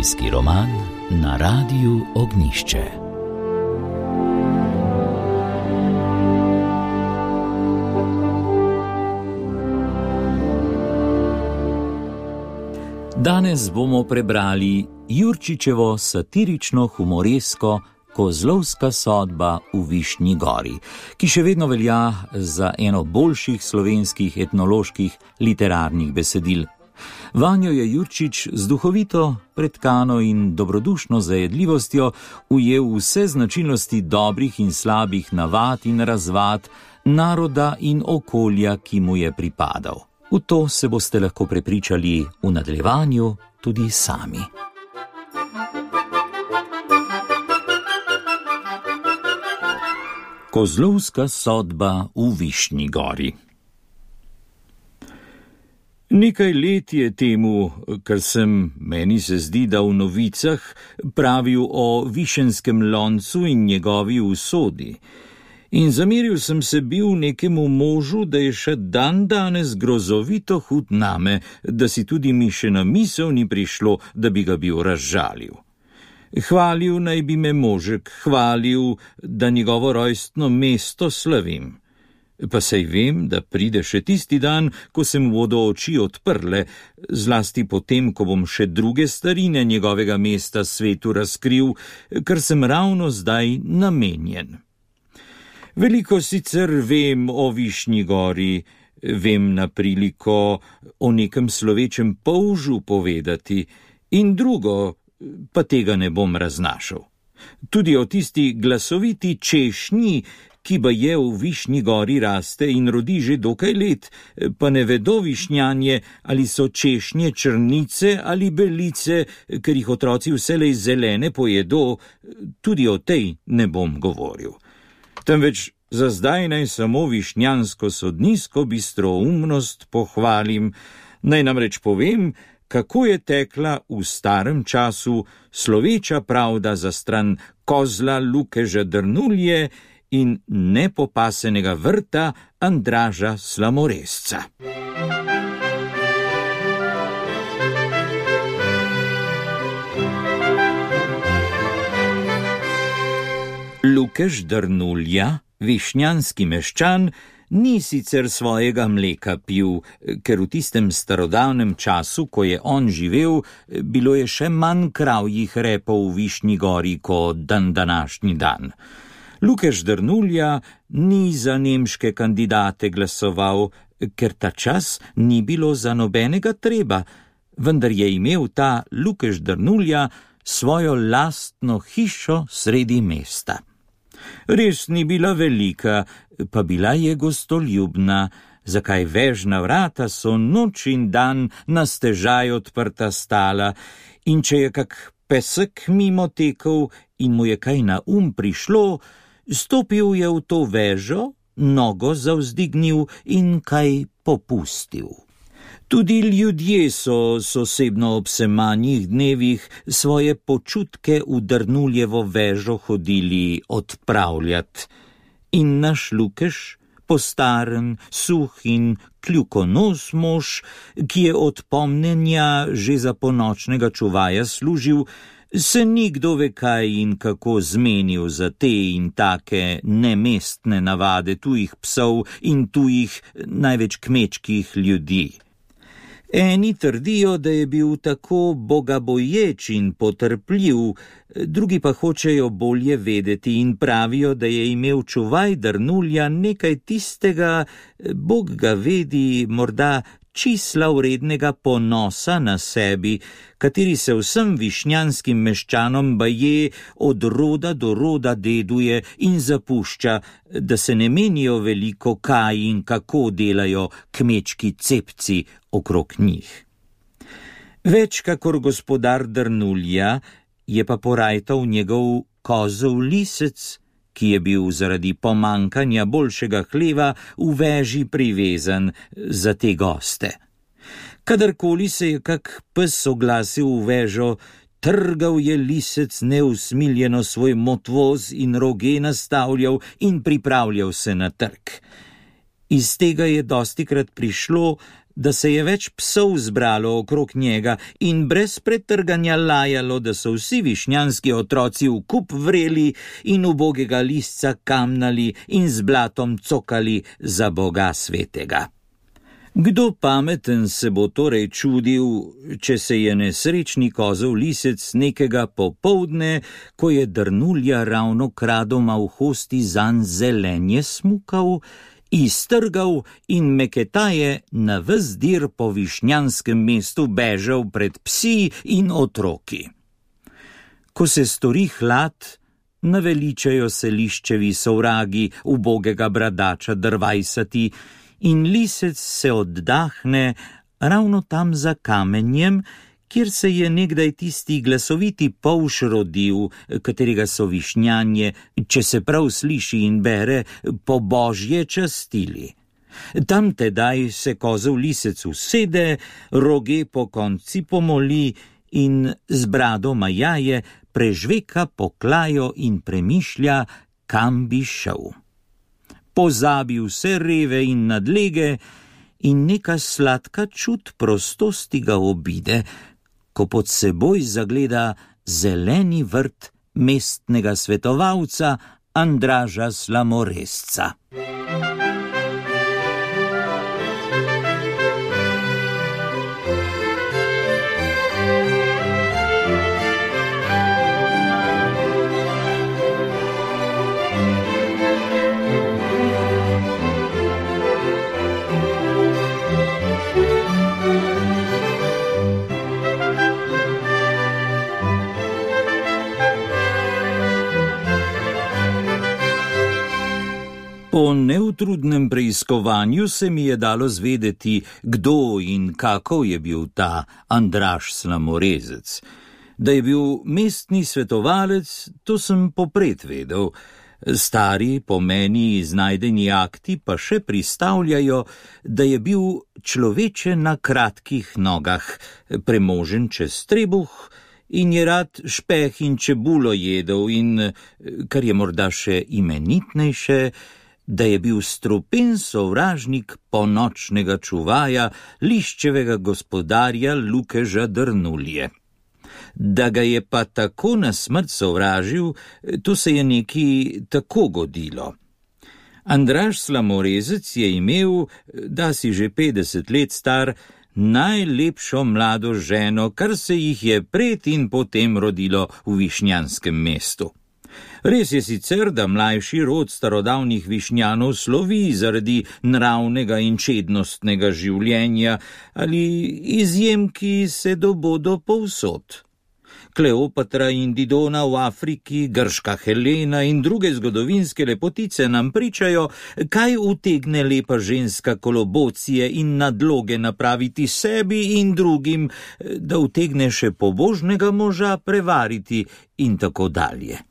Zimski roman na Radiu Ognjišče. Danes bomo prebrali Jurčičevo satirično-humoresko Kozlovska sodba v Višnji gori, ki še vedno velja za eno boljših slovenskih etnoloških literarnih besedil. Vanjo je Jurčič z duhovito, pretkano in dobrodušno zajedljivostjo ujel vse značilnosti dobrih in slabih navad in razvad naroda in okolja, ki mu je pripadal. V to se boste lahko prepričali v nadaljevanju tudi sami. Kozlovska sodba v Višnji gori. Nekaj let je temu, kar sem, meni se zdi, da v novicah pravil o višenskem loncu in njegovi usodi. In zameril sem se bil nekemu možu, da je še dan danes grozovito hud name, da si tudi mi še na misel ni prišlo, da bi ga bil razžalil. Hvalil naj bi me možek, hvalil, da njegovo rojstno mesto slavim. Pa saj vem, da pride še tisti dan, ko se mu bodo oči odprle, zlasti potem, ko bom še druge starine njegovega mesta svetu razkril, kar sem ravno zdaj namenjen. Veliko sicer vem o Višnji gori, vem na priliko o nekem slovečem polžu povedati, in drugo, pa tega ne bom raznašal. Tudi o tisti glasoviti češnji, ki baje v Višnji gori raste in rodi že dokaj let, pa ne vedo višnjanje, ali so češnje črnice ali belice, ker jih otroci vselej zelene pojedo, tudi o tej ne bom govoril. Temveč za zdaj naj samo višnjansko sodnisko bistroumnost pohvalim, naj namreč povem, kako je tekla v starem času sloveča pravda za stran kozla Lukeža Drnulje in nepopasenega vrta Andraža Slamoresca. Lukež Drnulja, višnjanski meščan, ni sicer svojega mleka pil, ker v tistem starodavnem času, ko je on živel, bilo je še manj kravjih repov v Višnji gori kot današnji dan. Lukež Drnulja ni za nemške kandidate glasoval, ker ta čas ni bilo za nobenega treba, vendar je imel ta Lukež Drnulja svojo lastno hišo sredi mesta. Res ni bila velika, pa bila je gostoljubna, zakaj vežna vrata so noč in dan na stežaj odprta stala, in če je kak pesek mimo tekel in mu je kaj na prišlo, stopil je v to vežo, nogo zavzdignil in kaj popustil. Tudi ljudje so osebno ob semanjih dnevih svoje počutke v Drnuljevo vežo hodili odpravljat. In naš Lukež, postaren, suh in kljukonos mož, ki je od pomnenja že za ponočnega čuvaja služil, se ni kdo ve kaj in kako zmenil za te in take nemestne navade tujih psov in tujih, največ kmečkih ljudi. Eni trdijo, da je bil tako bogaboječ in potrpljiv, drugi pa hočejo bolje vedeti in pravijo, da je imel čuvaj Drnulja nekaj tistega, Bog ga vedi, morda čisla vrednega ponosa na sebi, kateri se vsem višnjanskim meščanom baje od roda do roda deduje in zapušča, da se ne menijo veliko kaj in kako delajo kmečki cepci okrog njih. Več kakor gospodar Drnulja je pa porajtal njegov kozel lisec, ki je bil zaradi pomankanja boljšega hleva v veži privezan za te goste. Kadarkoli se je kak pes oglasil v vežo, trgal je lisec neusmiljeno svoj motvoz in roge nastavljal in pripravljal se na trk. Iz tega je dostikrat prišlo, da se je več psov zbralo okrog njega in brez pretrganja lajalo, da so vsi višnjanski otroci v kup vreli in ubogega listca kamnali in z blatom cokali za Boga svetega. Kdo pameten se bo torej čudil, če se je nesrečni kozov lisec nekega popoldne, ko je Drnulja ravno kradoma v hosti zanj zelenje smukal, iztrgal in meketaje na ves dir po višnjanskem mestu bežal pred psi in otroki. Ko se stori hlad, naveličajo se liščevi sovragi ubogega bradača drvajsati in lisec se oddahne ravno tam za kamenjem, kjer se je nekdaj tisti glasoviti polž rodil, katerega so višnjanje, če se prav sliši in bere, po božje častili. Tam tedaj se kozov lisec usede, roge po konci pomoli in z brado majaje prežveka poklajo in premišlja, kam bi šel. Pozabi vse reve in nadlege in neka sladka čut prostosti ga obide, ko pod seboj zagleda zeleni vrt mestnega svetovalca Andraža Slamorezca. Po neutrudnem preiskovanju se mi je dalo zvedeti, kdo in kako je bil ta Andraž Slamorezec. Da je bil mestni svetovalec, to sem popred vedel. Stari, po meni iznajdeni akti pa še pristavljajo, da je bil človeče na kratkih nogah, premožen čez trebuh in je rad špeh in čebulo jedel in, kar je morda še imenitnejše, da je bil strupen sovražnik ponočnega čuvaja, liščevega gospodarja Lukeža Drnulje. Da ga je pa tako na smrt sovražil, to se je neki tako godilo. Andraž Slamorezec je imel, da si že 50 let star, najlepšo mlado ženo, kar se jih je pred in potem rodilo v višnjanskem mestu. Res je sicer, da mlajši rod starodavnih višnjanov slovi zaradi nravnega in čednostnega življenja ali izjemki se dobodo povsod. Kleopatra in Didona v Afriki, grška Helena in druge zgodovinske lepotice nam pričajo, kaj utegne lepa ženska kolobocije in nadloge napraviti sebi in drugim, da utegne še pobožnega moža prevariti in tako dalje.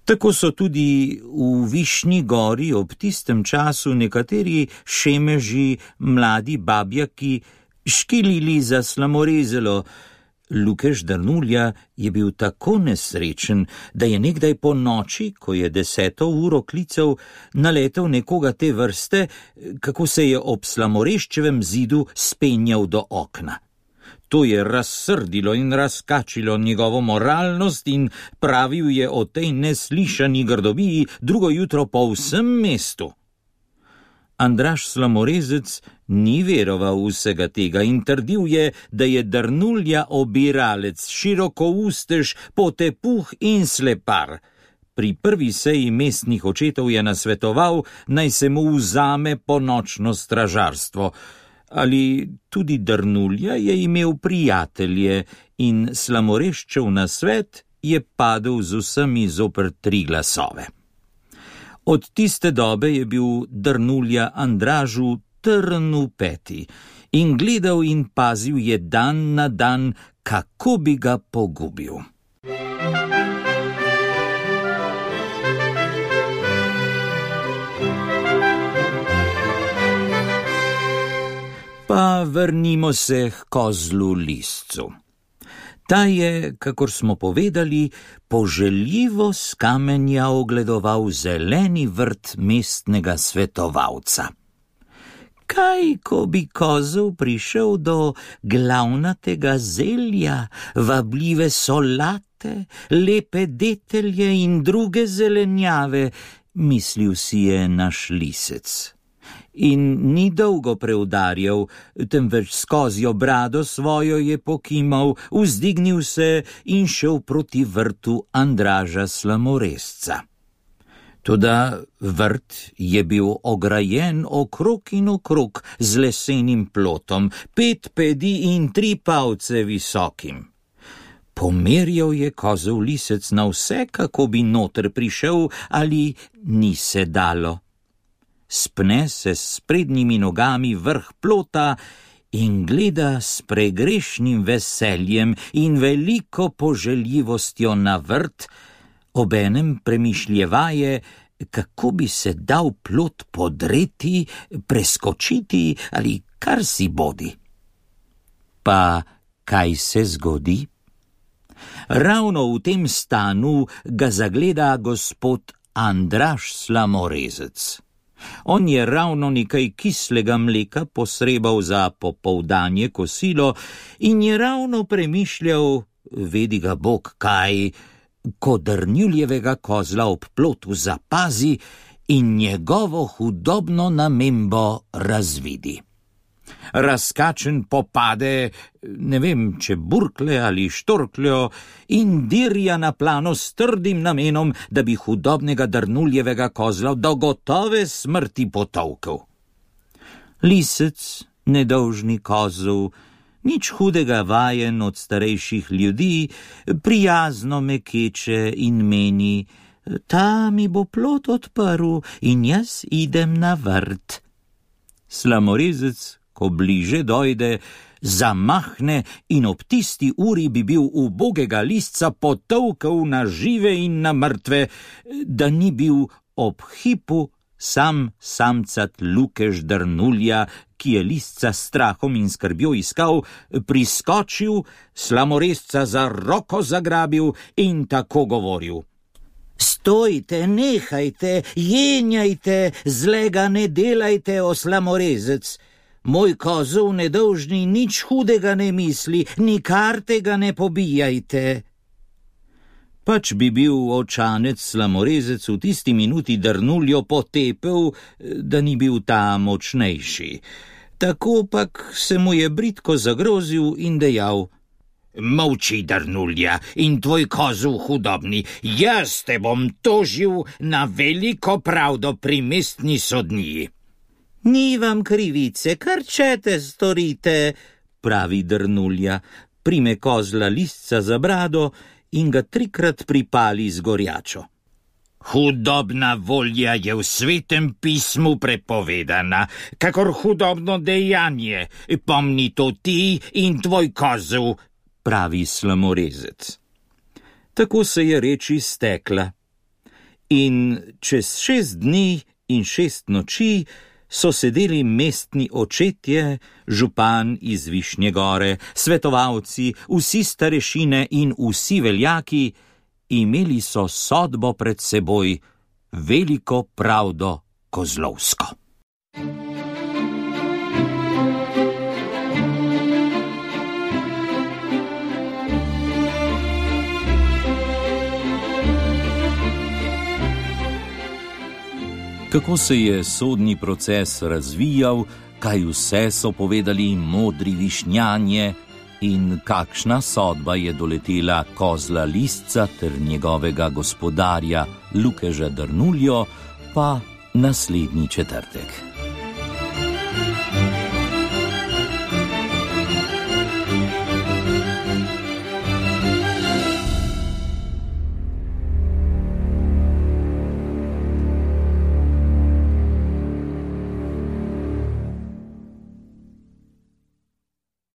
Tako so tudi v Višnji gori ob tistem času nekateri šemeži, mladi babjaki, škilili za Slamorezelo. Lukež Drnulja je bil tako nesrečen, da je nekdaj po noči, ko je 10. uro klical, naletel nekoga te vrste, kako se je ob Slamoreščevem zidu spenjal do okna. To je razsrdilo in razkačilo njegovo moralnost in pravil je o tej neslišani grdobiji drugo jutro po vsem mestu. Andraž Slamorezec ni veroval vsega tega in trdil je, da je Drnulja obiralec, širokoustež, potepuh in slepar. Pri prvi seji mestnih očetov je nasvetoval, naj se mu vzame ponočno stražarstvo. Ali tudi Drnulja je imel prijatelje in Slamoreščev nasvet je padel z vsemi zoper 3 glasove. Od tiste dobe je bil Drnulja Andražu trn v peti in gledal in pazil je dan na dan, kako bi ga pogubil. Pa vrnimo se k kozlu liscu. Ta je, kakor smo povedali, poželjivo s kamenja ogledoval zeleni vrt mestnega svetovalca. Kaj, ko bi kozel prišel do glavnatega zelja, vabljive solate, lepe detelje in druge zelenjave, mislil si je naš lisec. In ni dolgo preudarjal, temveč skozi brado svojo je pokimal, vzdignil se in šel proti vrtu Andraža Slamorezca. Toda vrt je bil ograjen okrog in okrog z lesenim plotom, 5 pedi in 3 palce visokim. Pomerjal je kozel lisec na vse, kako bi noter prišel, ali ni se dalo. Spne se s prednjimi nogami vrh plota in gleda s pregrešnim veseljem in veliko poželjivostjo na vrt, obenem premišljevaje, kako bi se dal plot podreti, preskočiti ali kar si bodi. Pa kaj se zgodi? Ravno v tem stanu ga zagleda gospod Andraž Slamorezec. On je ravno nekaj kislega mleka posrebal za popoldanje kosilo in je ravno premišljal, vedi ga Bog kaj, ko Drnuljevega kozla ob plotu zapazi in njegovo hudobno namembo razvidi. Razkačen popade, ne vem, če burkle ali štorkljo, in dirja na plano s trdim namenom, da bi hudobnega Drnuljevega kozla do gotove smrti potolkel. Lisec, nedolžni kozel, nič hudega vajen od starejših ljudi, prijazno me keče in meni, ta mi bo plot odprl in jaz idem na vrt. Slamorezec, ko bliže dojde, zamahne in ob tisti uri bi bil ubogega lisca potolkel na žive in na mrtve, da ni bil ob hipu samcat Lukež Drnulja, ki je lisca s strahom in skrbjo iskal, priskočil, Slamorezca za roko zagrabil in tako govoril. Stojte, nehajte, jenjajte, zlega ne delajte, o Slamorezec. Moj kozel nedolžni nič hudega ne misli, nikar tega ne pobijajte. Pač bi bil očanec Slamorezec v tisti minuti Drnuljo potepel, da ni bil ta močnejši. Tako pak se mu je bridko zagrozil in dejal: Molči, Drnulja, in tvoj kozel hudobni, jaz te bom tožil na veliko pravdo pri mestni sodniji. Ni vam krivice, kar čete storite, pravi Drnulja, prime kozla lisca za brado in ga 3krat pripali z gorjačo. Hudobna volja je v svetem pismu prepovedana, kakor hudobno dejanje, pomni to ti in tvoj kozel, pravi Slamorezec. Tako se je reč iztekla. In čez 6 dni in 6 noči so sedeli mestni očetje, župan iz Višnje Gore, svetovalci, vsi starešine in vsi veljaki, imeli so sodbo pred seboj, veliko pravdo kozlovsko. Kako se je sodni proces razvijal, kaj vse so povedali modri višnjanje in kakšna sodba je doletela kozla lisca ter njegovega gospodarja Lukeža Drnuljo, pa naslednji četrtek.